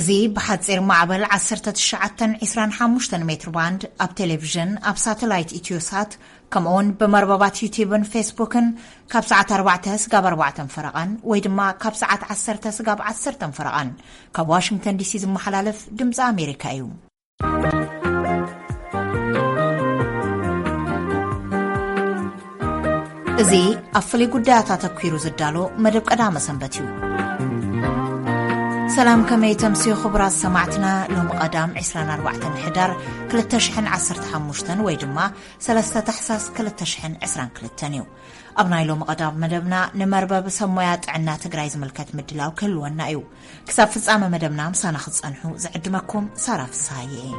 እዚ ብሓጺር ማዕበል ዓሰርተ ትሽዓተ ዕስራን ሓሙሽተን ሜትር ባንድ ኣብ ቴሌቪዥን፣ ኣብ ሳተላይት ኢትዮሳት፣ ከምኡውን ብመርበባት ዩቲዩብን ፌስቡክን ካብ ሰዓት ኣርባዕተ ስጋብ ኣርባዕተ ፈረቓን ወይ ድማ ካብ ሰዓት ዓሰርተ ስጋብ ዓሰርተ ፈረቓን ካብ ዋሽንግተን ዲሲ ዝመሓላለፍ ድምፂ ኣሜሪካ እዩ። እዚ ኣብ ፍሉይ ጉዳያት ኣተኲሩ ዝዳሎ መደብ ቀዳመ ሰንበት እዩ። ሰላም፣ ከመይ ተምስዩ ክቡራት ሰማዕትና? ሎሚ ቀዳም ዕስራን ኣርባዕተን ሕዳር ክልተ ሽሕን ዓሰርተ ሓሙሽተን ወይ ድማ ሰለስተ ታሕሳስ ክልተ ሽሕን ዕስራን ክልተን እዩ። ኣብ ናይ ሎሚ ቀዳም መደብና ንመርበብ ሰብ ሞያ ጥዕና ትግራይ ዝምልከት ምድላው ክህልወና እዩ። ክሳብ ፍጻመ መደብና ምሳና ክትጸንሑ ዝዕድመኩም ሳራ ፍስሃየ እየ።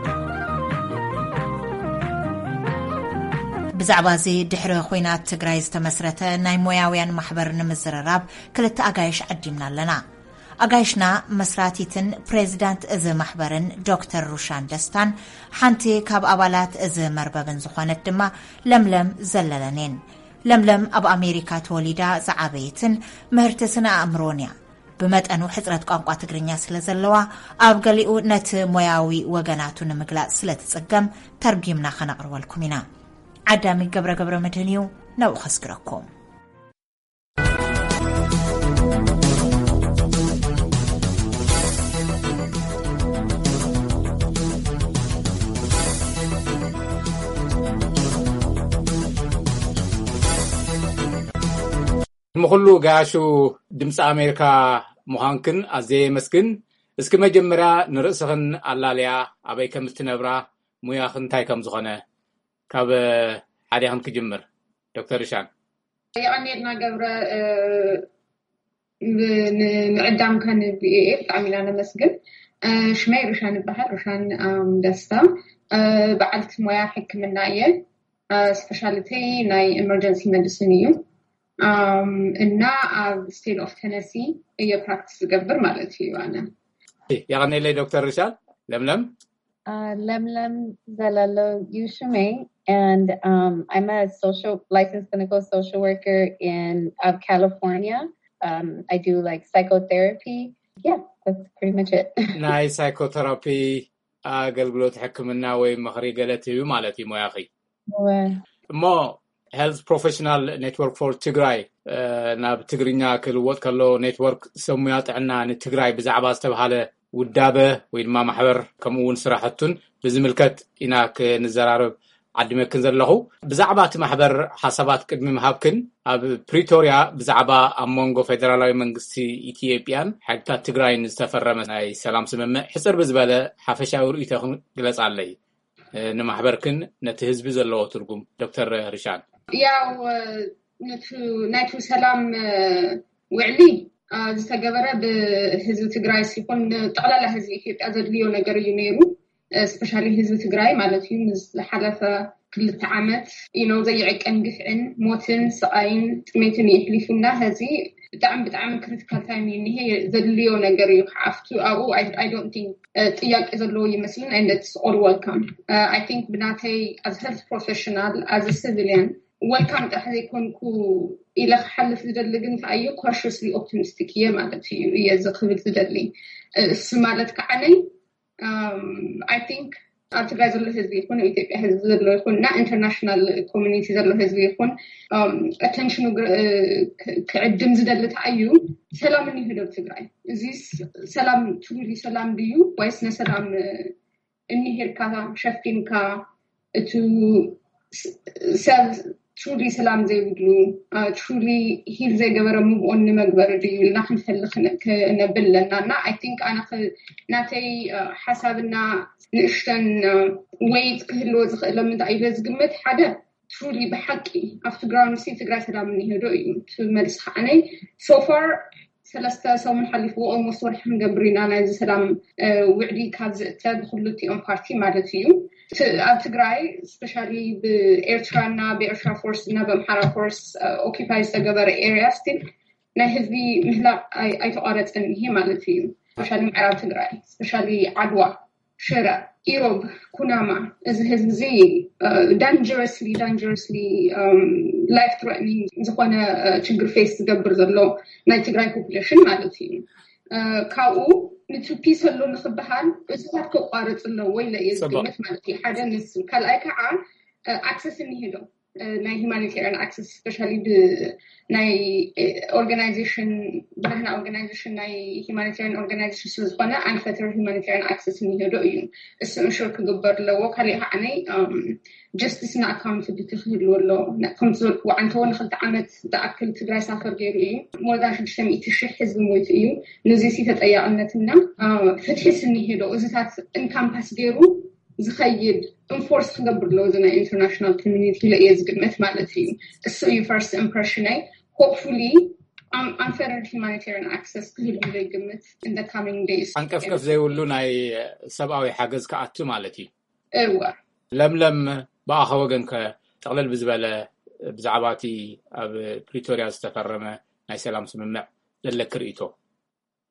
ብዛዕባ እዚ ድሕሪ ኹናት ትግራይ ዝተመስረተ ናይ ሞያውያን ማሕበር ንምዝርራብ ክልተ ኣጋይሽ ዓዲምና ኣለና። ኣጋይሽና መስራቲትን ፕሬዚዳንት እዚ ማሕበርን ዶክተር ሩሻን ደስታን፣ ሓንቲ ካብ ኣባላት እዚ መርበብን ዝኾነት ድማ ለምለም ዘለለን እየን። ለምለም ኣብ ኣሜሪካ ተወሊዳ ዝዓበየትን ምህርቲ ስነ ኣእምሮን እያ። ብመጠኑ ሕጽረት ቋንቋ ትግርኛ ስለ ዘለዋ፣ ኣብ ገሊኡ ነቲ ሞያዊ ወገናቱ ንምግላጽ ስለ ትጽገም፣ ተርጒምና ከነቕርበልኩም ኢና። ዓዳሚ ገብረ ገብረ መድህን እዩ፣ ናብኡ ከስግረኩም። ንኹሉ ጋያሹ ድምፂ ኣሜሪካ ምዃንክን ኣዝየ የመስግን። እስኪ መጀመርያ ንርእስኽን ኣላልያ፣ ኣበይ ከም እትነብራ፣ ሙያኽን እንታይ ከም ዝኾነ ካብ ሓዲኽን ክጅምር። ዶክተር ርሻን። የቐንየልና ገብረ፣ እ፣ ን-፣ ንምዕዳምካ ን ቪኦኤ ብጣዕሚ ኢና ነመስግን። እ፣ ሽመይ ሩሻን ይበሃል፣ ሩሻን፣ ኣም፣ ደስታ። እ፣ በዓልቲ ሞያ ሕክምና እየ። እ፣ ስፔሻሊተይ ናይ ኤመርጀንሲ መዲሲን እዩ። ኣም፣ እና ኣብ ስቴት ኦፍ ቴነሲ እየ ፕራክቲስ ዝገብር ማለት እዩ ኣነ። የቐንየለይ ዶክተር ርሻን። ለምለም። Uh, Lemlem Zalalo Yushime, and um, I'm a social licensed clinical social worker in of California. Um, I do like psychotherapy. Yeah, that's pretty much it. ናይ ሳይኮቴራፒ ኣገልግሎት ሕክምና ወይ ምኽሪ ገለ ትህቢ ማለት እዩ ሞያኺ። እወ። እሞ ሄልት ፕሮፌሽናል ኔትወርክ ፎር ትግራይ፣ እ፣ ናብ ትግርኛ ክልወጥ ከሎ፣ ኔትወርክ ሰብ ሙያ ጥዕና ንትግራይ ብዛዕባ ዝተብሃለ ውዳበ ወይ ድማ ማሕበር፣ ከምኡ እውን ስራሕቱን ብዝምልከት ኢና ክንዘራረብ ዓዲመክን ዘለኹ። ብዛዕባ እቲ ማሕበር ሓሳባት ቅድሚ ምሃብክን፣ ኣብ ፕሪቶርያ ብዛዕባ ኣብ መንጎ ፌደራላዊ መንግስቲ ኢትዮጵያን ሓይልታት ትግራይን ዝተፈረመ ናይ ሰላም ስምምዕ ሕፅር ብዝበለ ሓፈሻዊ ርእይቶኽን ግለጻለይ። እ፣ ንማሕበርክን ነቲ ህዝቢ ዘለዎ ትርጉም። ዶክተር ሪሻን። ያው፣ እ፣ ነቱ-፣ ናይቱ ሰላም፣ እ፣ ውዕሊ፣ እ፣ ዝተገበረ ብህዝቢ ትግራይ ሲኮን ንጠቕላላ ህዝቢ ኢትዮጵያ ዘድልዮ ነገር እዩ ነይሩ። እ፣ ስፔሻሊ ህዝቢ ትግራይ ማለት እዩ። ምስ ዝሓለፈ ክልተ ዓመት፣ you know፣ ዘይዕቀን ግፍዕን ሞትን ስቓይን ጥሜትን የሕሊፉና። ሕዚ ብጣዕሚ፣ ብጣዕሚ ክሪቲካል ታይም እዩ እኒሄ። ዘድልዮ ነገር እዩ ክዓፍቱ ኣብኡ። I, I don't think፣ እ፣ ጥያቄ ዘለዎ ይመስልን፣ and it's all welcome። እ፣ I think ብናተይ as health professional, as a civilian፣ welcome ጥራሕ ዘይኮንኩ ኢለ ክሓልፍ ዝደሊ ግን እንታይ እዩ፣ ኮሽስሊ ኦፕቲሚስቲክ እየ ማለት እዩ፣ እየ እዚ ክብል ዝደሊ። እ፣ እሱ ማለት ከዓነይ፣ um, I think ኣብ ትግራይ ዘሎ ህዝቢ ይኹን፣ ኣብ ኢትዮጵያ ህዝቢ ዘሎ ይኹን፣ እና ኢንተርናሽናል ኮሚኒቲ ዘሎ ህዝቢ ይኹን፣ um, ኣቴንሽኑ ግ-፣ እ፣ ክ-፣ ክዕድም ዝደሊ እንታይ እዩ፣ ሰላም እኒህዶ ኣብ ትግራይ። እዚ ስ-፣ ሰላም፣ ትሩሊ ሰላም ድዩ ወይስ ነሰላም፣ እ፣ እኒሄልካ ሸፊንካ፣ እቱ ስ-፣ ሰብ ትሩሊ ሰላም ዘይብሉ፣ አ፣ ትሩሊ ሂል ዘይገበረ ሙቭ ኦን ንመግበር ድዩ ኢልና ክንፈሊ ክነ-፣ ክነብል ኣለና። እና I think ኣነ ክ-፣ ናተይ፣ አ፣ ሓሳብና ንእሽተን፣ አ፣ ዌይት ክህልዎ ዝኽእሎም እንታይ ኢለ ዝግምት፣ ሓደ ትሩሊ ብሓቂ ኣብቲ ግራውንድ ሲ ትግራይ ሰላም እኒሄ ዶ እዩ እቲ መልሲ ከዓነይ። So far ሰለስተ ሰሙን ሓሊፍዎ፣ ኦልሞስት ወርሒ ክንገብር ኢና ናይዚ ሰላም፣ እ፣ ውዕሊ ካብ ዝእተ ብክልቲኦም ፓርቲ ማለት እዩ። ት-፣ ኣብ ትግራይ ስፔሻሊ ብኤርትራና ብኤርትራ ፎርስ እና ብኣምሓራ ፎርስ፣ እ፣ ኦኪፓይ ዝተገበረ ኤሪያ ስቲል ናይ ህዝቢ ምህላቕ ኣይ-፣ ኣይተቋረፀን እኒሄ ማለት እዩ። ስፔሻሊ ምዕራብ ትግራይ፣ ስፔሻሊ ዓድዋ፣ ሽረ፣ ኢሮብ፣ ኩናማ፣ እዚ ህዝቢ እዚ፣ እ፣ ዳንጀረስሊ፣ ዳንጀረስሊ፣ እም፣ ላይፍ ትረትኒንግ ዝኾነ፣ እ፣ ችግር ፌስ ዝገብር ዘሎ ናይ ትግራይ ፖፑሌሽን ማለት እዩ። እ፣ ካብኡ ንቱ ፒስ ኣሎ ንክበሃል እዚታት ከቋርፅ ኣለዎ ኢለ እየ ዝግምት ማለት እዩ። ሓደ ንሱ፣ ካልኣይ ከዓ ኣክሰስ እኒሄ ዶ ናይ ሂማኒቴሪያን ኣክሰስ ስፔሻሊ ናይ ኦርጋናይዜሽን ብናህና ኦርጋናይዜሽን ናይ ሂማኒቴሪያን ኦርጋናይዜሽን ስለዝኮነ ኣንፈተር ሂማኒቴሪያን ኣክሰስ እኒሄ ዶ እዩ። እሱ እንሹር ክግበር ኣለዎ። ካሊእ ከዓ ናይ ጀስቲስ ና ኣካውንታብሊቲ ክህልዎ ኣሎ። ከምቲ ዝበልክዎ ዓንተዎ ንክልተ ዓመት ዝኣክል ትግራይ ሳፈር ገይሩ እዩ። ሞርዳን ሽዱሽተ ሚእቲ ሽሕ ህዝቢ ሞይቱ እዩ። ንዚ ሲ ተጠያቅነትና ፍትሒ ስኒሄዶ እዚታት እንካምፓስ ገይሩ ዝኸይድ ኢንፎርስ ክገብር ኣለዎ እዚ ናይ ኢንተርናሽናል ኮሚኒቲ ኢለ እየ ዝግምት ማለት እዩ። እሱ እዩ ፈርስት ኢምፕሬሽነይ። ሆፕፉሊ ኣንፈርድ ሂማኒቴሪያን ኣክሰስ ክህሉ ይግምት ኢን ካሚንግ ደይስ። ኣንቀፍቀፍ ዘይብሉ ናይ ሰብኣዊ ሓገዝ ክኣቱ ማለት እዩ። እዋ ለምለም፣ ብኣኸ ወገን ከ ጠቕለል ብዝበለ ብዛዕባ እቲ ኣብ ፕሪቶሪያ ዝተፈረመ ናይ ሰላም ስምምዕ ዘለክ ርእይቶ?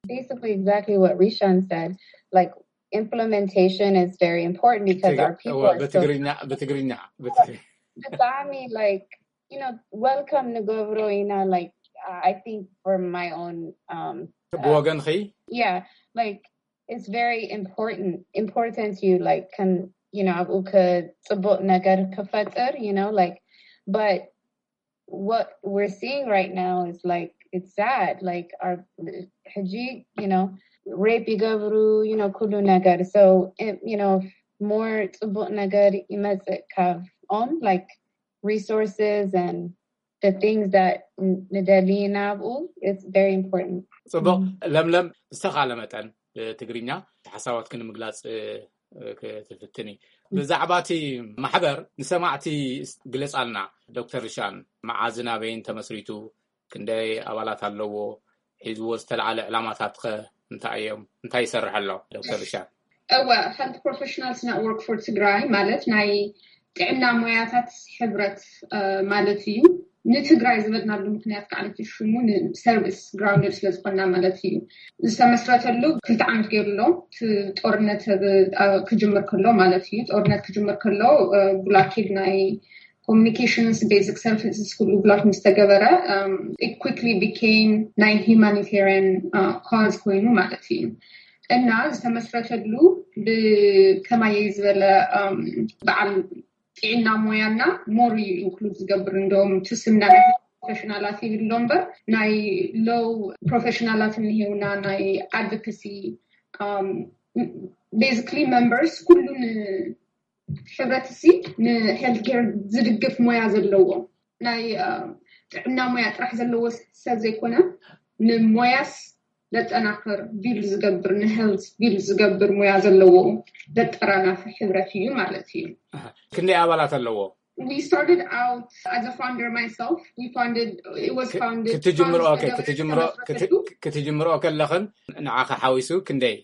Basically exactly what Rishan said. Like, implementation is very important because our people are still ብትግርኛ ብትግርኛ ብትግርኛ ብጣዕሚ like you know welcome ንገብሮ ኢና like I think for my own um ብወገንኺ yeah like it's very important important to you like ከም you know ኣብኡ ከፅቡቅ ነገር ክፈጥር you know like but what we're seeing right now is like it's sad like our ሕጂ you know rape ይገብሩ you know ኩሉ ነገር so you know more ፅቡቅ ነገር ይመፅእ ካብ ኦም like resources and the things that ንደሊ ናብኡ it's very important ፅቡቅ። ለምለም ዝተኻለ መጠን ብትግርኛ ሓሳባትኪ ንምግላፅ ክትፍትኒ ብዛዕባ እቲ ማሕበር ንሰማዕቲ ግለፃልና። ዶክተር ሪሻን፣ መዓዝን ኣበይን ተመስሪቱ፣ ክንደይ ኣባላት ኣለዎ፣ ሒዝዎ ዝተለዓለ ዕላማታት ከ እንታይ እዮም፣ እንታይ ይሰርሕ ኣሎ ዶክተር ሪሻን? እወ፣ Health Professionals Network for ትግራይ ማለት ናይ ጥዕና ሞያታት ሕብረት ማለት እዩ። ንትግራይ ዝበልናሉ ምክንያት ከዓ ነቲ ሽሙ ንሰርቪስ ግራውንድድ ስለዝኮና ማለት እዩ። ዝተመስረተሉ ክልተ ዓመት ገይሩ ኣሎ። ጦርነት ክጅምር ከሎ ማለት እዩ። ጦርነት ክጅምር ከሎ ብላኬድ ናይ ኮሚኒኬሽንስ ቤዚክ ሰርቪስስ ኩሉ ብላክ ምስ ተገበረ quickly became ናይ ሂማኒቴሪያን ካዝ ኮይኑ ማለት እዩ። እና ዝተመስረተሉ ብከማየይ ዝበለ በዓል ጥዕና ሞያና ሞር እዩ ኢንክሉድ ዝገብር። እንደውም ትስምና ናይ ፕሮፌሽናላት ይብሎ እምበር ናይ ሎው ፕሮፌሽናላት እንሄውና ናይ ኣድቮኬሲ basically members ኩሉን ሕብረትሲ ንሄልት ኬር ዝድግፍ ሞያ ዘለዎ ናይ ጥዕና ሞያ ጥራሕ ዘለዎ ሰብ ዘይኮነ ንሞያስ ዘጠናክር ቢልድ ዝገብር ንሄልት ቢልድ ዝገብር ሞያ ዘለዎ ዘጠራናፊ ሕብረት እዩ ማለት እዩ። ክንደይ ኣባላት ኣለዎ? We started out as a founder myself. We founded it was founded ክትጅምሮ ክትጅምሮ ክትጅምሮ ከለኽን ንዓኸ ሓዊሱ ክንደይ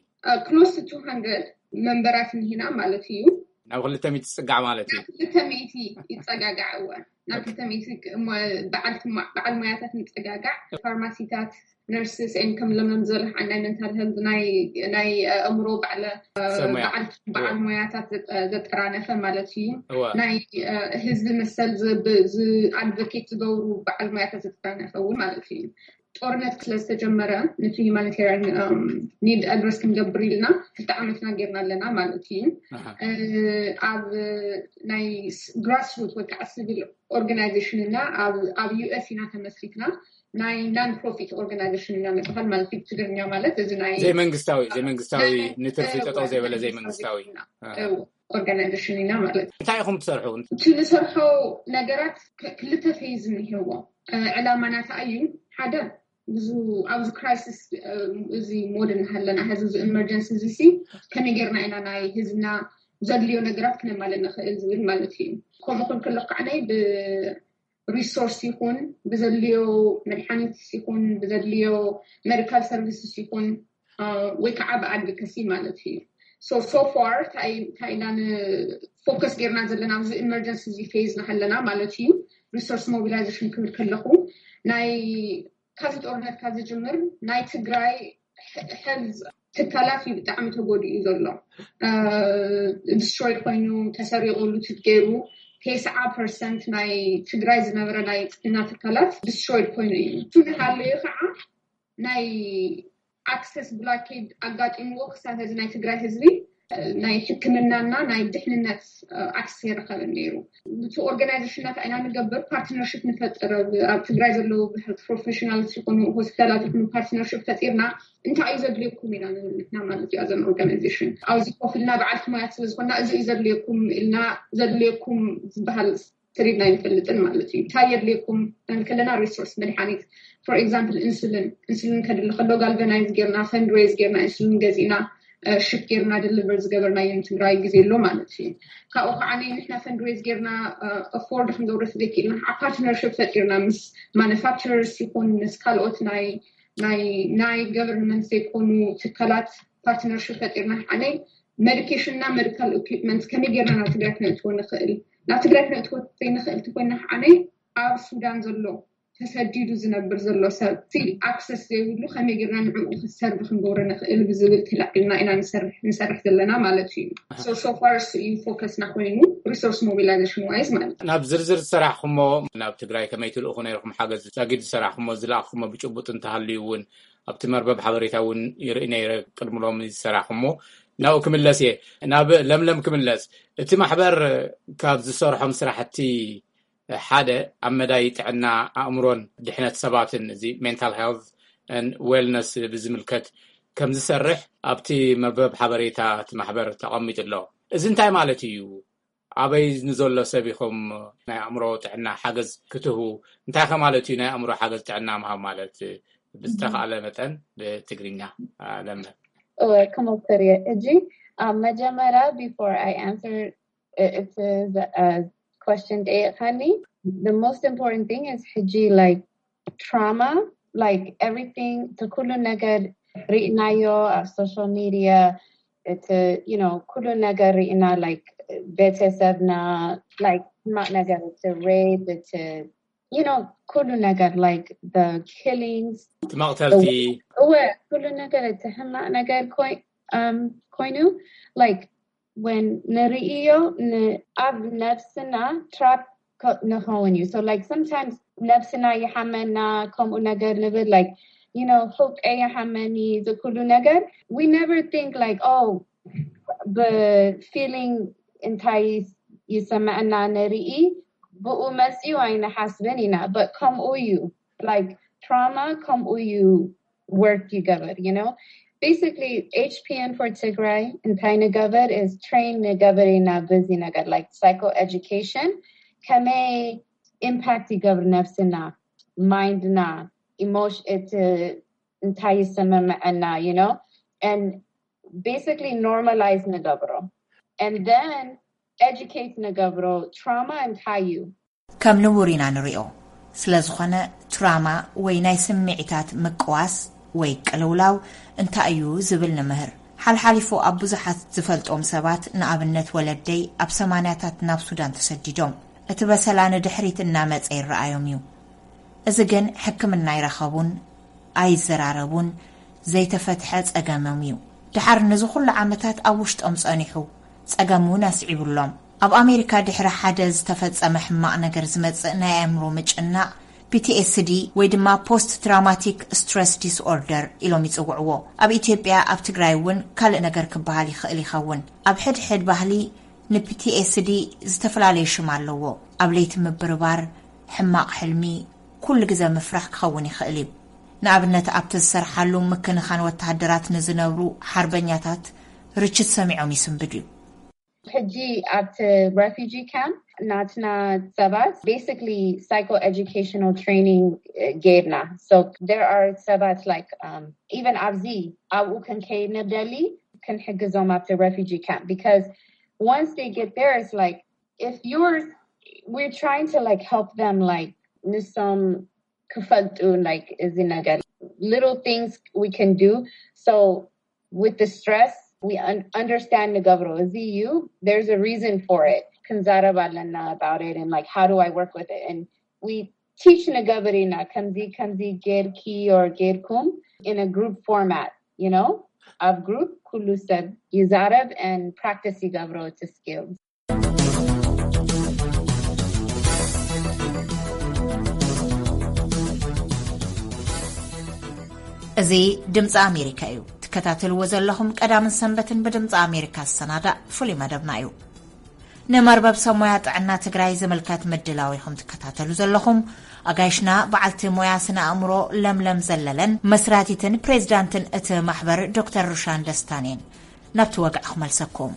close to two hundred መንበራት እንሂና ማለት እዩ። ናብ ክልተ ሚእቲ ዝፅጋዕ ማለት እዩ። ክልተ ሚእቲ ይፀጋጋዕ እወ ናብ ክልተ ሚእቲ በዓል ሞያታት ንፀጋጋዕ ፋርማሲታት ነርስስ ን ከም ለምለም ዝበለ ከዓ ናይ መንታል ሄልት ናይ ኣእምሮ በዓል ሞያታት ዘጠራነፈ ማለት እዩ። ናይ ህዝቢ መሰል ኣድቮኬት ዝገብሩ በዓል ሞያታት ዘጠራነፈ እውን ማለት እዩ። ጦርነት ስለዝተጀመረ ነቲ ሂማኒቴሪያን ኒድ ኣድረስ ክንገብር ኢልና ክልተ ዓመትና ጌርና ኣለና ማለት እዩ። ኣብ ናይ ግራስሩት ወይ ከዓ ሲቪል ኦርጋናይዜሽን እና ኣብ ዩ ኤስ ኢና ተመስሪትና ናይ ናን ፕሮፊት ኦርጋናይዜሽን ኢና ንበሃል ማለት እዩ። ብትግርኛ ማለት እዚ ናይ ዘይመንግስታዊ ዘይመንግስታዊ ንትርፊ ጠጠው ዘይበለ ዘይመንግስታዊ ኦርጋናይዜሽን ኢና ማለት እዩ። እንታይ ኢኹም ትሰርሑ? እቲ ንሰርሖ ነገራት ክልተ ፌዝ እኒሄዎ። ዕላማና ከዓ እዩ ሓደ ብዙ ኣብዚ ክራይሲስ እዚ ሞድ እናሃለና ሕዚ እዚ ኢመርጀንሲ እዚ ሲ ከመይ ጌርና ኢና ናይ ህዝብና ዘድልዮ ነገራት ክነማልእ ንኽእል ዝብል ማለት እዩ። ከምኡ ክብል ከለኩ ከዓ ናይ ብሪሶርስ ይኹን ብዘድልዮ መድሓኒት ይኹን ብዘድልዮ ሜዲካል ሰርቪስስ ይኹን ወይ ከዓ ብኣድቮኬሲ ማለት እዩ። So so far እንታይ ኢና ንፎከስ ጌርና ዘለና ኣብዚ ኢመርጀንሲ እዚ ፌዝ ናሃለና ማለት እዩ። ሪሶርስ ሞቢላይዜሽን ክብል ከለኹ ናይ ካብዚ ጦርነት ካብ ዝጅምር ናይ ትግራይ ሄልዝ ትካላት እዩ ብጣዕሚ ተጎዲኡ ዘሎ። ዲስትሮይድ ኮይኑ ተሰሪቑ ሉትድ ገይሩ ተስዓ ፐርሰንት ናይ ትግራይ ዝነበረ ናይ ጥዕና ትካላት ዲስትሮይድ ኮይኑ እዩ። እሱ ንሃለዩ ከዓ ናይ ኣክሰስ ብላኬድ ኣጋጢምዎ ክሳብ ሕዚ ናይ ትግራይ ህዝቢ ናይ ሕክምናና ናይ ድሕንነት ኣክሰስ የረከብን ነይሩ። ብቲ ኦርጋናይዜሽናት ኢና ንገብር ፓርትነርሽፕ ንፈጥር ኣብ ትግራይ ዘለዉ ፕሮፌሽናልስ ይኹኑ ሆስፒታላት ይኹኑ ፓርትነርሽፕ ፈጢርና እንታይ እዩ ዘድልየኩም ኢና ንብል ንሕና ማለት እዩ ኣዘን ኦርጋናይዜሽን ኣብዚ ኮፍ ኢልና በዓልቲ ሞያት ስለዝኮና እዚ እዩ ዘድልየኩም ኢልና ዘድልየኩም ዝበሃል ስሪድና ይፈልጥን ማለት እዩ እንታይ የድልየኩም ከለና ሪሶርስ መድሓኒት for example insulin insulin ከድሊ ከሎ galvanize ጌርና fundraise ጌርና insulin ገዚእና ሽፕ ጌርና deliver ዝገበርናዮ ንትግራይ ግዜ ኣሎ ማለት እዩ ካብኡ ከዓ ንሕና fundraise ጌርና afford ክንገብሮ ዘይክእልና partnership ፈጢርና ምስ manufacturers ይኹን ምስ ካልኦት ናይ ናይ ናይ government ዘይኮኑ ትካላት partnership ፈጢርና ሓደ medication እና medical equipment ከመይ ጌርና ናብ ትግራይ ክነእትዎ ንኽእል ናብ ትግራይ ክነእትዎ ዘይንኽእል ተኮይና ሓደ ኣብ ሱዳን ዘሎ ተሰዲዱ ዝነብር ዘሎ ሰብ still access ዘይብሉ ከመይ ጌርና ንዕኡ ክሰርቭ ክንገብሮ ንኽእል ብዝብል ተላዒልና ኢና ንሰርሕ ዘለና ማለት እዩ so far እሱ እዩ focus ና ኮይኑ resource mobilization wise ማለት እዩ ናብ ዝርዝር ዝሰራሕኩሞ ናብ ትግራይ ከመይ ትልእኹ ነይርኩም ሓገዝ ዛጊድ ዝሰራሕኩሞ ዝለኣኽኩሞ ብጭቡጥ እንተሃልዩ እውን ኣብቲ መርበብ ሓበሬታ እውን ይርኢ ነይረ ቅድሚ ሎሚ ዝሰራሕኩሞ ናብኡ ክምለስ እየ ናብ ለምለም ክምለስ እቲ ማሕበር ካብ ዝሰርሖም ስራሕቲ ሓደ ኣብ መዳይ ጥዕና ኣእምሮን ድሕነት ሰባትን እዚ mental health wellness ብዝምልከት ከም ዝሰርሕ ኣብቲ መርበብ ሓበሬታ እቲ ማሕበር ተቐሚጡ ኣሎ እዚ እንታይ ማለት እዩ ኣበይ ንዘሎ ሰብ ኢኹም ናይ ኣእምሮ ጥዕና ሓገዝ ክትህቡ እንታይ ከ ማለት እዩ ናይ ኣእምሮ ሓገዝ ጥዕና ምሃብ ማለት ብዝተኻእለ መጠን ብትግርኛ ለምለም ክሞክር እየ እጂ ኣብ መጀመርያ before I answer እቲ question ጠየቅካኒ the most important thing is ሕጂ like trauma like everything እቲ ኩሉ ነገር ርኢናዮ ኣብ social media እቲ you know ኩሉ ነገር ርኢና like ቤተሰብና like ሕማቅ ነገር እቲ rape እቲ you know ኩሉ ነገር like the killings እቲ መቅተልቲ እወ ኩሉ ነገር እቲ ሕማቅ ነገር ኮይኑ like when ንርእዮ ኣብ ነብስና trap ንኸውን እዩ so like sometimes ነብስና ይሓመና ከምኡ ነገር ንብል like you know ሕውቀ ይሓመኒ ዝኩሉ ነገር we never think like oh ብ feeling እንታይ ይሰማዐና ንርኢ ብኡ መፅኡ ኣይንሓስብን ኢና but ከምኡ እዩ like trauma ከምኡ እዩ work ይገበር you know basically HPN for ትግራይ እንታይ ንገበር is train ንገበር ኢና በዚ ነገር like psycho education ከመይ impact ይገብር ነብስና mind ና emotion እቲ እንታይ ይሰማመዐና you know and basically normalize ንገብሮ and then educate ንገብሮ trauma እንታይ እዩ ከም ንቡር ኢና ንሪኦ። ስለዝኾነ ትራማ ወይ ናይ ስምዒታት ምቅዋስ ወይ ቅልውላው እንታይ እዩ ዝብል ንምህር። ሓልሓሊፉ ኣብ ብዙሓት ዝፈልጦም ሰባት ንኣብነት ወለደይ ኣብ ሰማንያታት ናብ ሱዳን ተሰዲዶም እቲ በሰላ ንድሕሪት እናመጸ ይረኣዮም እዩ። እዚ ግን ሕክምና ኣይረኸቡን፣ ኣይዘራረቡን፣ ዘይተፈትሐ ጸገሞም እዩ። ደሓር ነዚ ኩሉ ዓመታት ኣብ ውሽጦም ጸኒሑ፣ ጸገም እውን ኣስዒቡሎም። ኣብ ኣሜሪካ ድሕሪ ሓደ ዝተፈጸመ ሕማቕ ነገር ዝመጽእ ናይ ኣእምሮ ምጭናቕ፣ ፒ ቲ ኤስ ዲ ወይ ድማ ፖስት ትራማቲክ ስትረስ ዲስኦርደር ኢሎም ይጽውዕዎ። ኣብ ኢትዮጵያ፣ ኣብ ትግራይ እውን ካልእ ነገር ክበሃል ይኽእል ይኸውን። ኣብ ሕድሕድ ባህሊ ን ፒ ቲ ኤስ ዲ ዝተፈላለየ ሽም ኣለዎ። ኣብ ለይቲ ምብርባር፣ ሕማቕ ሕልሚ፣ ኩሉ ግዘ ምፍራሕ ክኸውን ይኽእል እዩ። ንኣብነት ኣብቲ ዝሰርሓሉ ምክንኻን ወተሃደራት ንዝነብሩ ሓርበኛታት ርችት ሰሚዖም ይስንብድ እዩ። ሕጂ ኣብቲ refugee camp ናትና ሰባት basically psycho educational training ጌርና so there are ሰባት like um, even ኣብዚ ኣብኡ ክንከይድ ንደሊ ክንሕግዞም ኣብቲ refugee camp because once they get there it's like if you're we're trying to like help them like ንሶም ክፈልጡ like እዚ ነገር little things we can do so with the stress we un- understand ንገብሮ እዚ እዩ there's a reason for it ክንዛረብ ኣለና about it and like how do I work with it and we teach ንገብር ኢና ከምዚ ከምዚ ጌርኪ or ጌርኩም in a group format you know ኣብ group ኩሉ ሰብ ይዛረብ and practice ይገብሮ እቲ skills እዚ ድምፂ ኣሜሪካ እዩ። ትከታተልዎ ዘለኹም ቀዳምን ሰንበትን ብድምፂ ኣሜሪካ ዝሰናዳእ ፍሉይ መደብና እዩ። ንመርበብ ሰብ ሞያ ጥዕና ትግራይ ዝምልከት ምድላው ኢኹም ትከታተሉ ዘለኹም። ኣጋይሽና በዓልቲ ሞያ ስነ ኣእምሮ ለምለም ዘለለን መስራቲትን ፕሬዚዳንትን እቲ ማሕበር ዶክተር ሩሻን ደስታን እየን። ናብቲ ወግዒ ክመልሰኩም።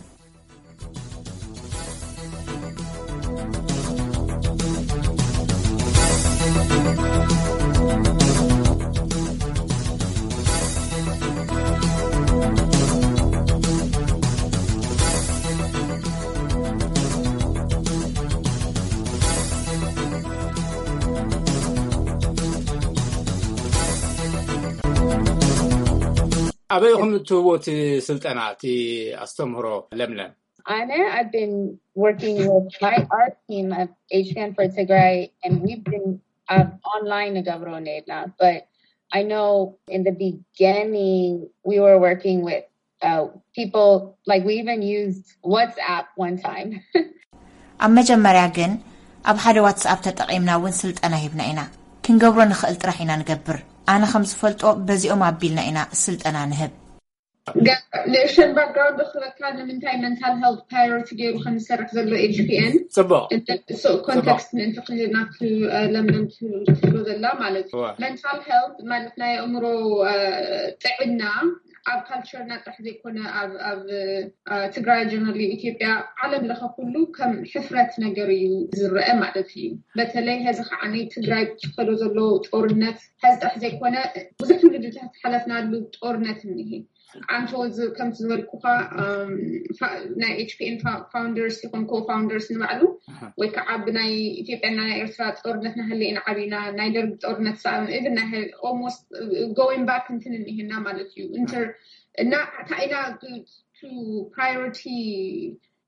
ኣበይ ኢኹም እትህብዎ እቲ ስልጠና፣ እቲ ኣስተምህሮ ለምለም? ኣነ I've been working with my art team of H P N for Tigray, and we've been uh, online ንገብሮ ነይርና, but I know in the beginning we were working with uh, people, like, we even used WhatsApp one time. ኣብ መጀመርያ ግን ኣብ ሓደ ዋትስኣፕ ተጠቒምና እውን ስልጠና ሂብና ኢና። ክንገብሮ ንኽእል ጥራሕ ኢና ንገብር። ኣነ ከም ዝፈልጦ በዚኦም ኣቢልና ኢና ስልጠና ንህብ። ንእሽተን ባክግራውንድ ክበካ፣ ንምንታይ መንታል ሄልት ፕራዮሪቲ ገይሩ ከም ዝሰርሕ ዘሎ ኤች ፒ ኤን ፅቡቅ። ኮንቴክስት ምእንቲ ክህብ ናብቲ ለምለም ትብሎ ዘላ ማለት እዩ። መንታል ሄልት ማለት ናይ ኣእምሮ ጥዕና ኣብ ካልቸርና ጥራሕ ዘይኮነ ኣብ ትግራይ ጀነራሊ ኢትዮጵያ ዓለም ለኸ ኩሉ ከም ሕፍረት ነገር እዩ ዝረአ ማለት እዩ። በተለይ ሀዚ ከዓ ናይ ትግራይ ዝኸዶ ዘሎ ጦርነት ሀዚ ጥራሕ ዘይኮነ ብዙሕ ትውልድታት ዝሓለፍናሉ ጦርነት እኒሄ። ኣንተ ከምቲ ዝበልኩኻ ናይ ኤች ፒ ኤን ፋውንደርስ ይኹን ኮ ፋውንደርስ ንባዕሉ ወይ ከዓ ብናይ ኢትዮጵያና ናይ ኤርትራ ጦርነት ናሃለና ዓቢና ናይ ደርግ ጦርነት ሰኣን ኢቭን ናይ ኦልሞስት ጎይንግ ባክ እንትን እኒሄና ማለት እዩ። እንተር እና እንታይ ኢና ቱ ፕራዮሪቲ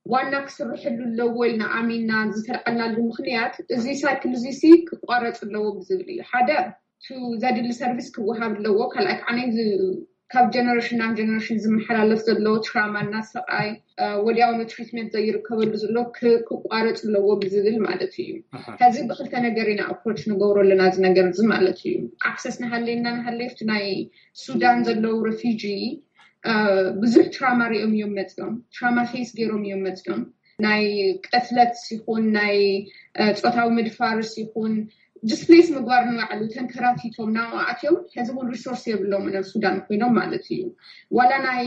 ዋና ክስርሕሉ ኣለዎ ኢልና ኣሚንና ዝተልዓልናሉ ምኽንያት እዚ ሳይክል እዚ ሲ ክቋረፅ ኣለዎ ብዝብል እዩ። ሓደ ቱ ዘድሊ ሰርቪስ ክወሃብ ኣለዎ። ካልኣይ ከዓ ናይ ካብ ጀነሬሽን ናብ ጀነሬሽን ዝመሓላለፍ ዘሎ ትራማ እና ሰቃይ ወዲያውኑ ትሪትመንት ዘይርከበሉ ዘሎ ክቋረፅ ኣለዎ ብዝብል ማለት እዩ። ከዚ ብክልተ ነገር ኢና ኣፕሮች ንገብሮ ኣለና እዚ ነገር እዚ ማለት እዩ። ኣክሰስ ናሃለና ናሃለፍቲ ናይ ሱዳን ዘለዉ ረፊጂ ብዙሕ ትራማ ሪኦም እዮም መፅኦም። ትራማ ፌስ ገይሮም እዮም መፅኦም። ናይ ቅትለት ይኹን ናይ ፆታዊ ምድፋርስ ይኹን ዲስፕሌስ ምግባር ንባዕሉ ተንከራቲቶም ናብኡ ኣትዮም። ሕዚ እውን ሪሶርስ የብሎም ናብ ሱዳን ኮይኖም ማለት እዩ። ዋላ ናይ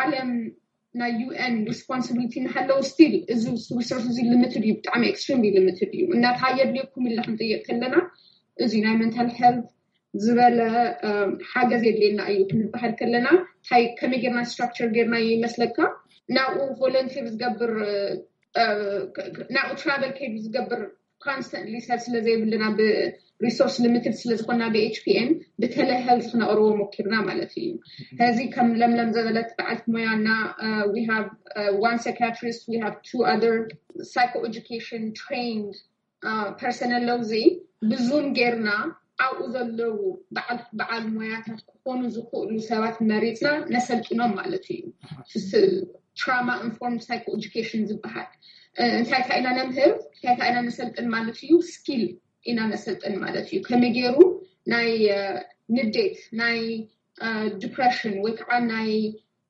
ዓለም ናይ ዩ ኤን ሪስፖንሲቢሊቲ እናሃለው ስቲል እዚ ሪሶርስ እዚ ሊሚትድ እዩ፣ ብጣዕሚ ኤክስትሪምሊ ሊሚትድ እዩ። እናታ የድልየኩም ኢልና ክንጥየቅ ከለና እዚ ናይ መንታል ሄልት ዝበለ ሓገዝ የድልየና እዩ ክንበሃል ከለና እንታይ ከመይ ጌርና ስትራክቸር ጌርና ይመስለካ? ናብኡ ቮለንቲር ዝገብር ናብኡ ትራቨል ከይዱ ዝገብር ኮንስተንትሊ ሰብ ስለዘይብልና ብሪሶርስ ሊሚትድ ስለዝኮና ብኤች ፒ ኤን ብተለሄልት ክነቅርቦ ሞኪርና ማለት እዩ። ከዚ ከም ለምለም ዘበለት በዓልቲ ሞያና we have one psychiatrist, we have two other psychoeducation trained ፐርሰን ኣለውዚ ብዙም ጌርና ኣብኡ ዘለዉ በዓል ሞያታት ክኾኑ ዝኽእሉ ሰባት መሪፅና ነሰልጥኖም ማለት እዩ። ትራማ ኢንፎርም ሳይኮ ኤዱኬሽን ዝበሃል እንታይ እንታይ ኢና ነምህር እንታይ እንታይ ኢና ነሰልጥን ማለት እዩ። ስኪል ኢና ነሰልጥን ማለት እዩ። ከመይ ገይሩ ናይ ንዴት ናይ ዲፕሬሽን ወይ ከዓ ናይ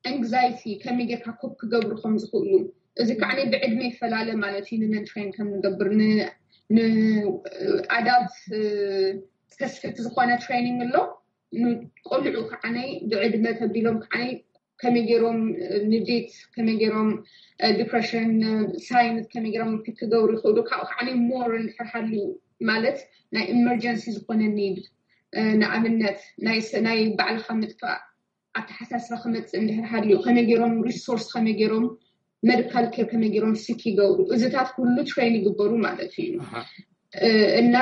ኤንግዛይቲ ከመይ ጌርካ ኮፕ ክገብሩ ከም ዝኽእሉ እዚ ከዓ ብዕድመ ይፈላለ ማለት እዩ። ንመን ትሬን ከም ንገብር ንኣዳልት ስፐሲፊክ ዝኾነ ትሬኒንግ ኣሎ። ንቆልዑ ከዓ ብዕድመ ተቢሎም ከዓ ከመይ ገይሮም ንዴት ከመይ ገይሮም ዲፕሬሽን ሳይንስ ከመይ ገይሮም ፒክ ክገብሩ ይኽእሉ። ካብኡ ከዓ ሞር እንድሕር ሃልዩ ማለት ናይ ኢመርጀንሲ ዝኾነ ኒድ ንኣብነት ናይ ባዕልካ ምጥፋእ ኣተሓሳስባ ክመፅእ እንድሕር ሃልዩ ከመይ ገይሮም ሪሶርስ ከመይ ገይሮም መዲካል ኬር ከመይ ገይሮም ሲክ ይገብሩ እዚታት ኩሉ ትሬን ይግበሩ ማለት እዩ። እና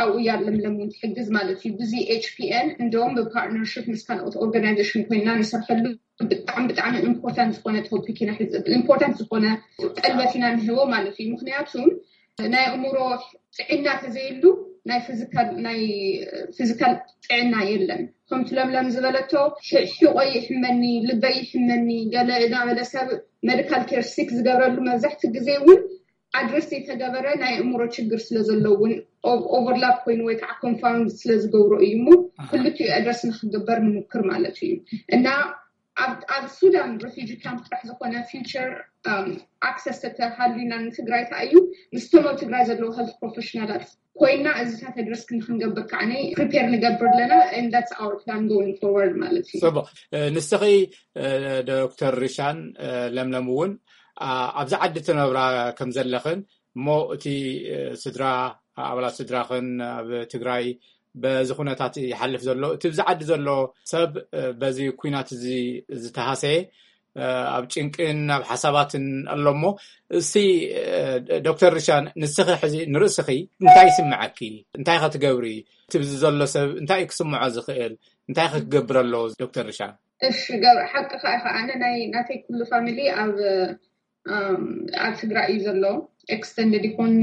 ኣብኡ እያ ለምለም እውን ትሕግዝ ማለት እዩ። ብዚ ኤች ፒ ኤን እንደውም ብፓርትነርሽፕ ምስ ካልኦት ኦርጋናይዜሽን ኮይና ንሰርሐሉ ብጣዕሚ ብጣዕሚ ኢምፖርታንት ዝኾነ ቶፒክ ኢና ኢምፖርታንት ዝኾነ ቀልበት ኢና ንህቦ ማለት እዩ። ምክንያቱም ናይ ኣእምሮ ጥዕና ተዘይሉ ናይ ፊዚካል ናይ ፊዚካል ጥዕና የለን። ከምቲ ለምለም ዝበለቶ ሕቆይ ይሕመኒ ልበይ ይሕመኒ ገለ እናበለ ሰብ መዲካል ኬር ሲክ ዝገብረሉ መብዛሕቲ ግዜ እውን ኣድረስ ዘይተገበረ ናይ ኣእምሮ ችግር ስለ ዘለውን ኦቨርላፕ ኮይኑ ወይ ከዓ ኮንፋውንድ ስለ ዝገብሮ እዩ እሞ ክልቲኡ ኣድረስ ንክግበር ንምክር ማለት እዩ። እና ኣብ ሱዳን ሬፊጂ ካምፕ ጥራሕ ዝኾነ ፊውቸር ኣክሰስ ተተሃልዩና ንትግራይ ከኣ እዩ ምስቶም ኣብ ትግራይ ዘለዉ ሄልት ፕሮፌሽናላት ኮይና እዚታት ኣድረስ ክንገብር ከዓ ፕሪፔር ንገብር ኣለና። That's our plan going forward ማለት እዩ። ንስኺ ዶክተር ሪሻን ለምለም እውን ኣብዚ ዓዲ ትነብራ ከም ዘለኽን እሞ እቲ ስድራ ኣባላት ስድራኽን ኣብ ትግራይ በዚ ኩነታት ይሓልፍ ዘሎ እቲ ብዚ ዓዲ ዘሎ ሰብ በዚ ኩናት እዚ ዝተሃሰየ ኣብ ጭንቅን ኣብ ሓሳባትን ኣሎ እሞ እስቲ ዶክተር ርሻን ንስኺ ሕዚ ንርእስኺ እንታይ ይስምዐኪ እንታይ ኸትገብሪ እቲ ብዚ ዘሎ ሰብ እንታይ ክስምዖ ዝኽእል እንታይ ክገብር ኣለዎ ዶክተር ርሻን እሺ ገብረ ሓቂ ከዓ ከዓ ናይ ናተይ ኩሉ ፋሚሊ ኣብ ኣብ ትግራይ እዩ ዘሎ extended ይኹን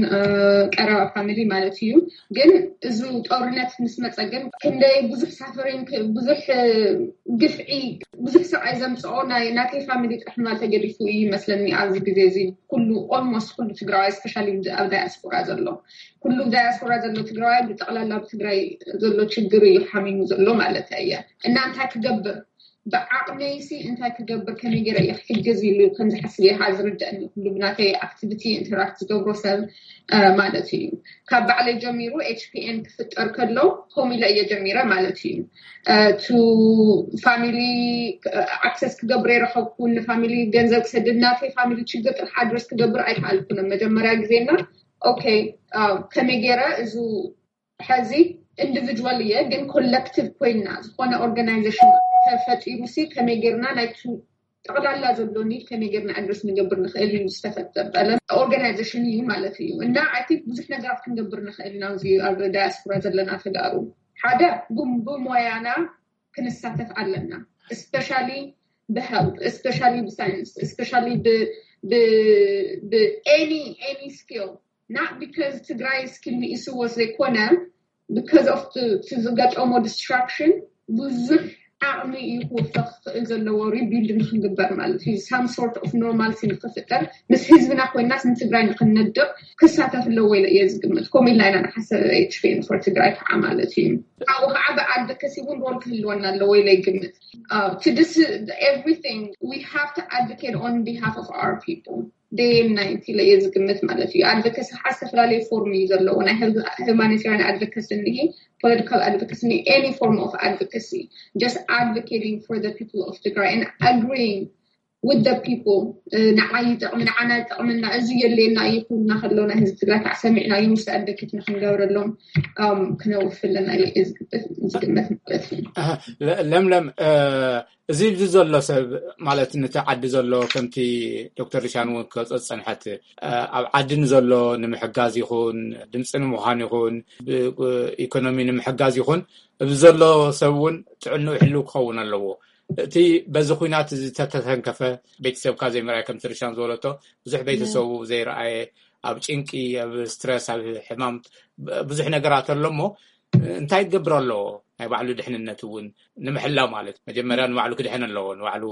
ቀረባ ፋሚሊ ማለት እዩ። ግን እዚ ጦርነት ምስ መፀ ግን ክንደይ ብዙሕ ሳፈሪንግ ብዙሕ ግፍዒ ብዙሕ ስቃይ ዘምፅኦ ናይ ናተይ ፋሚሊ ጥራሕ ምባል ተገዲፉ እዩ ይመስለኒ። ኣብዚ ግዜ እዚ ኩሉ almost ኩሉ ትግራዋይ especially ኣብ ዳያስፖራ ዘሎ ኩሉ ዳያስፖራ ዘሎ ትግራዋይ ብጠቕላላ ኣብ ትግራይ ዘሎ ችግር እዩ ሓሚሙ ዘሎ ማለት እየ። እና እንታይ ክገብር ብዓቕመይሲ እንታይ ክገብር ከመይ ገይረ እየ ክሕግዝ ኢሉ ከምዝሓስብ እየ ዝርድአኒ ኩሉ ብናተይ ኣክቲቪቲ ኢንተራክት ዝገብሮ ሰብ ማለት እዩ። ካብ ባዕለይ ጀሚሩ ኤች ፒ ኤን ክፍጠር ከሎ ከምኡ ኢለ እየ ጀሚረ ማለት እዩ። ቱ ፋሚሊ ኣክሰስ ክገብር የረኸብኩ ንፋሚሊ ገንዘብ ክሰድድ ናተይ ፋሚሊ ችግር ጥራሕ ኣድረስ ክገብር ኣይከኣልኩን መጀመርያ ግዜና ኦኬ ከመይ ገይረ እዚ ሕዚ ኢንዲቪድዋል እየ ግን ኮለክቲቭ ኮይና ዝኾነ ኦርጋናይዜሽን ተፈጢሩ ሲ ከመይ ጌርና ናይቲ ጠቕላላ ዘሎ ኒድ ከመይ ጌርና ኣድረስ ንገብር ንኽእል እዩ ዝተፈጠረ ኦርጋናይዜሽን እዩ ማለት እዩ እና ኣይ ቲንክ ብዙሕ ነገራት ክንገብር ንኽእል ኢና እዚ ኣብ ዳያስፖራ ዘለና ተጋሩ ሓደ ብሞያና ክንሳተፍ ኣለና especially ብሄልት especially ብሳይንስ especially ብ any any skill not because ትግራይ ስኪል ንኢስዎ ዘይኮነ because of ዝገጠሞ ዲስትራክሽን ብዙሕ ዓቕሚ እዩ ክወፈ ክኽእል ዘለዎ rebuild ንክንግበር ማለት እዩ some sort of normalcy ንክፍጠር ምስ ህዝብና ኮይናስ ንትግራይ ንክንነድቕ ክሳተፍ ኣለዎ ኢለ እየ ዝግምት ከምኡ ኢልና ኢና ንሓሰብ ኤች ፒ ኤን for ትግራይ ከዓ ማለት እዩ ካብኡ ከዓ ብኣድቮኬሲ እውን ሮል ክህልወና ኣለዎ ኢለ ይግምት to this everything we have to advocate on behalf of our people day and night ኢለ እየ ዝግምት ማለት እዩ ኣድቮኬሲ ከዓ ዝተፈላለየ ፎርም እዩ ዘለዎ ናይ humanitarian advocacy እኒሄ political advocacy እኒሄ any form of advocacy just advocating for the people of ትግራይ and agreeing with the people ንዓይ ይጠቕሚ ንዓና ይጠቕመና እዚ የድልየና እዩ ክብሉና ከለዉ ናይ ህዝቢ ትግራይ ከዓ ሰሚዕናዮም ምስ ኣድቮኬት ንክንገብረሎም ክነውፍለና ዝግመት ማለት እዩ ለምለም እዚ ኣብዚ ዘሎ ሰብ ማለት ነቲ ዓዲ ዘሎ ከምቲ ዶክተር ሪሻን እውን ክገልፆ ዝፀንሐት ኣብ ዓዲ ንዘሎ ንምሕጋዝ ይኹን ድምፂ ንምዃን ይኹን ኢኮኖሚ ንምሕጋዝ ይኹን እዚ ዘሎ ሰብ እውን ጥዕንኡ ሕልው ክኸውን ኣለዎ እቲ በዚ ኩናት ዝተተንከፈ ቤተሰብካ ዘይምርኣይ ከምቲ ርሻን ዝበለቶ ብዙሕ ቤተሰቡ ዘይረኣየ ኣብ ጭንቂ ኣብ ስትረስ ኣብ ሕማም ብዙሕ ነገራት ኣሎ እሞ እንታይ ክገብር ኣለዎ ናይ ባዕሉ ድሕንነት እውን ንምሕላው ማለት መጀመርያ ንባዕሉ ክድሕን ኣለዎ ንባዕሉ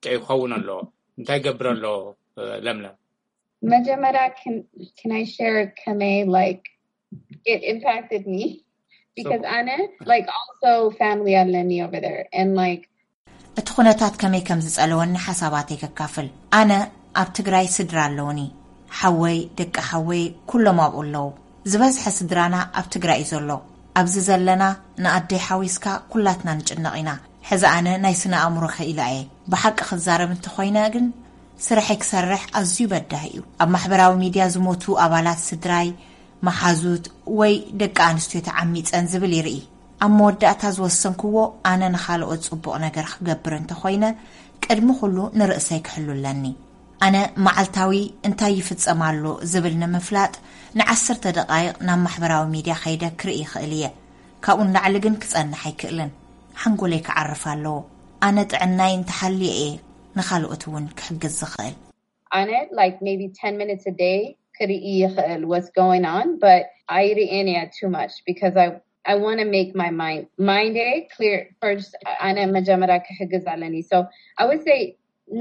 ጥዑይ ክኸውን ኣለዎ እንታይ ክገብር ኣለዎ ለምለም መጀመርያ can I share ከመይ like it impacted me because ኣነ like also family ኣለኒ over there and like እቲ ኩነታት ከመይ ከም ዝጸለወኒ ሓሳባተይ ከካፍል ኣነ ኣብ ትግራይ ስድራ ኣለውኒ ሓወይ ደቂ ሓወይ ኩሎም ኣብኡ ኣለዉ ዝበዝሐ ስድራና ኣብ ትግራይ እዩ ዘሎ ኣብዚ ዘለና ንኣደይ ሓዊስካ ኩላትና ንጭነቕ ኢና ሕዚ ኣነ ናይ ስነ ኣእምሮ ከኢላ እየ ብሓቂ ክዛረብ እንተኾይነ ግን ስርሐይ ክሰርሕ ኣዝዩ በዳሂ እዩ ኣብ ማሕበራዊ ሚድያ ዝሞቱ ኣባላት ስድራይ መሓዙት ወይ ደቂ ኣንስትዮ ተዓሚፀን ዝብል ይርኢ ኣብ መወዳእታ ዝወሰንክዎ ኣነ ንኻልኦት ፅቡቕ ነገር ክገብር እንተኾይነ ቅድሚ ኩሉ ንርእሰይ ክሕሉ ኣለኒ ኣነ መዓልታዊ እንታይ ይፍፀም ኣሎ ዝብል ንምፍላጥ ንዓሰርተ ደቃይቕ ናብ ማሕበራዊ ሚድያ ከይደ ክርኢ ይኽእል እየ ካብኡ ንላዕሊ ግን ክፀንሕ ኣይክእልን ሓንጎለይ ክዓርፍ ኣለዎ ኣነ ጥዕናይ እንተሓልየ እየ ንኻልኦት እውን ክሕግዝ ዝኽእል ኣነ like maybe ten minutes a day ክርኢ ይኽእል what's going on but ኣይርእን እየ too much because I I want to make my mind mind clear first ኣነ መጀመርያ ክሕግዝ ኣለኒ so I would say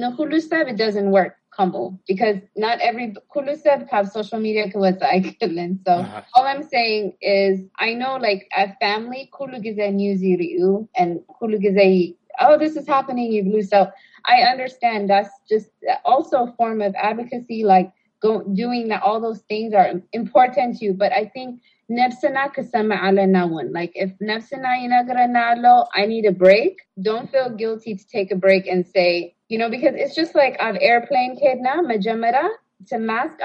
ንኩሉ ሰብ it doesn't work ከምኡ because not every ኩሉ ሰብ ካብ social media ክወፅእ ኣይክእልን። So all I'm saying is I know like at family ኩሉ ግዜ news ይርእዩ and ኩሉ ግዜ oh this is happening ይብሉ. So I understand that's just also a form of advocacy, like go, doing that, all those things are important to you, but I think ነብስና ክሰምዕ ኣለና እውን. Like if ነብስና ይነግረና ኣሎ I need a break, don't feel guilty to take a break and say, you know, because it's just like ኣብ airplane ከድና መጀመርያ to mask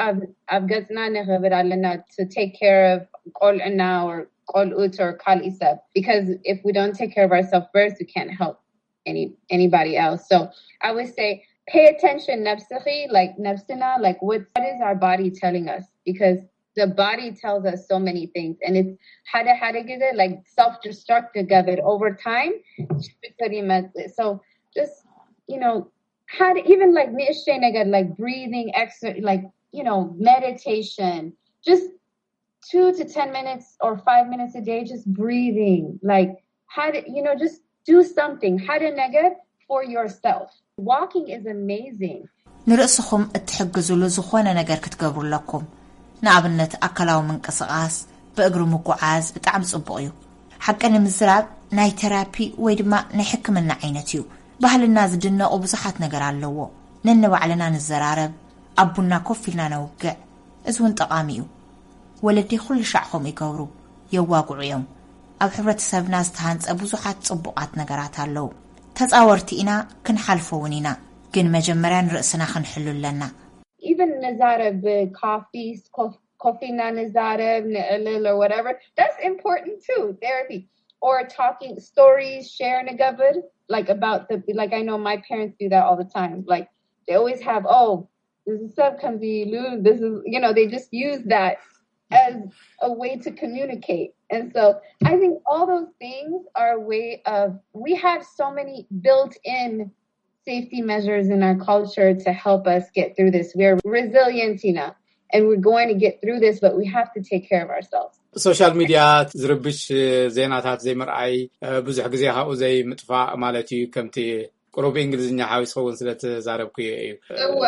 ኣብ ገፅና ንክብል ኣለና to take care of ቆልዕና or ቆልኡት or ካልእ ሰብ, because if we don't take care of ourselves first we can't help any anybody else. So I would say pay attention ነብስኺ, like ነብስና, like what, what is our body telling us? Because the body tells us so many things, and it's ሓደ ሓደ ግዜ like self destruct ክገብር over time ሽግር ይመፅእ. So just, you know, ሓደ even like ንእሽተይ ነገር like breathing exercise, like, you know, meditation, just two to ten minutes or five minutes a day, just breathing, like how to, you know, just do something ሓደ ነገር for yourself. Walking is amazing. ንርእስኹም እትሕግዝሉ ዝኾነ ነገር ክትገብሩ ኣለኩም። ንኣብነት ኣካላዊ ምንቅስቓስ፣ ብእግሪ ምጉዓዝ ብጣዕሚ ጽቡቕ እዩ። ሓቂ ንምዝራብ ናይ ቴራፒ ወይ ድማ ናይ ሕክምና ዓይነት እዩ። ባህልና ዝድነቑ ብዙሓት ነገር ኣለዎ። ነንባዕልና ንዘራረብ፣ ኣብ ቡና ኮፍ ኢልና ነውግዕ፣ እዚ እውን ጠቓሚ እዩ። ወለዲ ኩሉ ሻዕ ከምኡ ይገብሩ፣ የዋግዑ እዮም። ኣብ ሕብረተሰብና ዝተሃንጸ ብዙሓት ጽቡቓት ነገራት ኣለዉ። ተጻወርቲ ኢና፣ ክንሓልፎ እውን ኢና። ግን መጀመርያ ንርእስና ክንሕሉ ኣለና። Even ንዛረብ፣ ኮፊ ኮፍ ኢልና ንዛረብ፣ ንዕልል or whatever, that's important too. Therapy or talking stories, share ንገብር, like about the, like I know my parents do that all the time. Like they always have, oh, this is sub comes you lose, this is, you know, they just use that as a way to communicate. And so I think all those things are a way of, we have so many built-in safety measures in our culture to help us get through this. We're resilient enough and we're going to get through this, but we have to take care of ourselves. ሶሻል ሚድያ ዝርብሽ ዜናታት ዘይምርኣይ፣ ብዙሕ ግዜ ካብኡ ዘይምጥፋእ ማለት እዩ። ከምቲ ቁሩብ እንግሊዝኛ ሓዊስኸውን ስለ ተዛረብኩ እዩ። እወ፣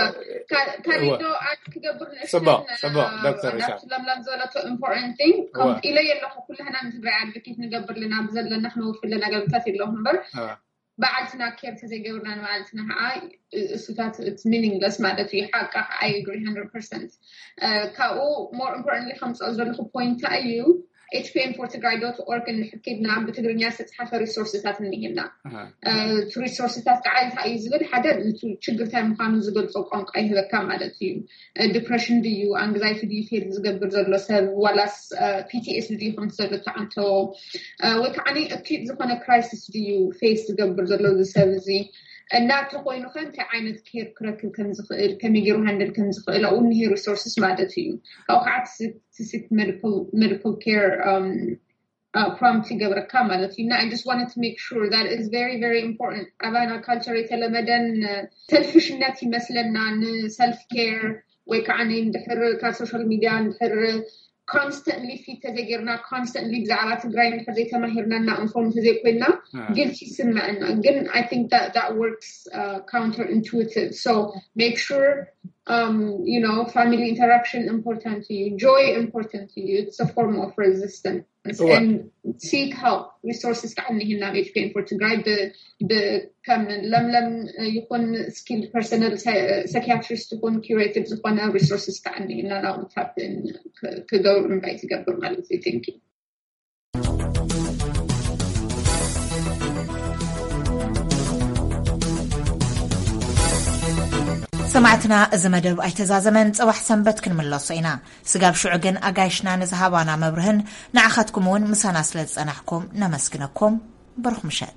ካሊዶ ኣድ ክገብር ጽቡቅ ጽቡቅ ዶክተር ሪሻርድ። ለምለም ዝበለቶ important thing ከምቲ ኢለ የለኹ። ኩላህና ንትግራይ ኣድቮኬት ንገብር ኣለና፣ ብዘለና ክነውፍለ ነገርታት የለኹ እምበር በዓልትና ኬር ተዘይገብርና ንባዕልትና ከዓ እሱታት it's meaningless ማለት እዩ። ሓቃ ከዓ I agree hundred percent። ካብኡ more importantly ከምፅኦ ዘለኹ point እዩ። H P N for Tigray dot org እንድሕር ኬድና ብትግርኛ ዝተፅሓፈ ሪሶርስታት እኒሄና። እቲ ሪሶርስታት ከዓ እንታይ እዩ ዝብል፣ ሓደ ችግር እንታይ ምዃኑ ዝገልፆ ቋንቋ ይህበካ ማለት እዩ። ዲፕሬሽን ድዩ፣ ኣንግዛይቲ ድዩ ፌል ዝገብር ዘሎ ሰብ፣ ዋላስ P T S D ድዩ ከምቲ ዘሎ ተዓንተዎ፣ ወይ ከዓ ኣኪዩት ዝኾነ ክራይሲስ ድዩ ፌስ ዝገብር ዘሎ እዚ ሰብ እዚ፣ እና እንተኮይኑ ከ እንታይ ዓይነት ኬር ክረክብ ከምዝኽእል፣ ከመይ ገይሩ ሃንድል ከምዝኽእል ኣብኡ እኒሄ ሪሶርስስ ማለት እዩ። ካብኡ ከዓ ትስክ ሜዲካል ኬር ፕሮምፕት ይገብረካ ማለት እዩ። እና I just wanted to make sure that is very very important። ኣባና ካልቸር የተለመደን ሰልፊሽነት ይመስለና፣ ንሰልፍ ኬር ወይ ከዓ እንድሕር ካብ ሶሻል ሚድያ እንድሕር ኮንስተንትሊ ፊት ተዘይጌርና፣ ኮንስተንትሊ ብዛዕባ ትግራይ እንድሕር ዘይተማሂርና እና ኢንፎርም ተዘይኮይና ጊልቲ ይስመዐና። ግን I think that works counterintuitive. So make sure you know family interaction important እዩ፣ joy important እዩ። It's a form of resistance. And seek help. Resources ከዓ እኒህና ኣብ H P N for Tigray ከም ለምለም ይኹን ስኪልድ ፐርሰናል ሳይኪያትሪስት ይኹን ኪሬቲቭ ዝኾነ ሪሶርስስ ከዓ እኒህና ናብኡ ታፕ ክገብሩ እንታይ ትገብር ማለት እዩ። Thank you። ሰማዕትና፣ እዚ መደብ ኣይተዛዘመን። ጽባሕ ሰንበት ክንምለሶ ኢና። ስጋብ ሽዑ ግን ኣጋይሽና ንዝሃባና መብርህን ንዓኻትኩም እውን ምሳና ስለ ዝጸናሕኩም ነመስግነኩም። ብሩኽ ምሸት።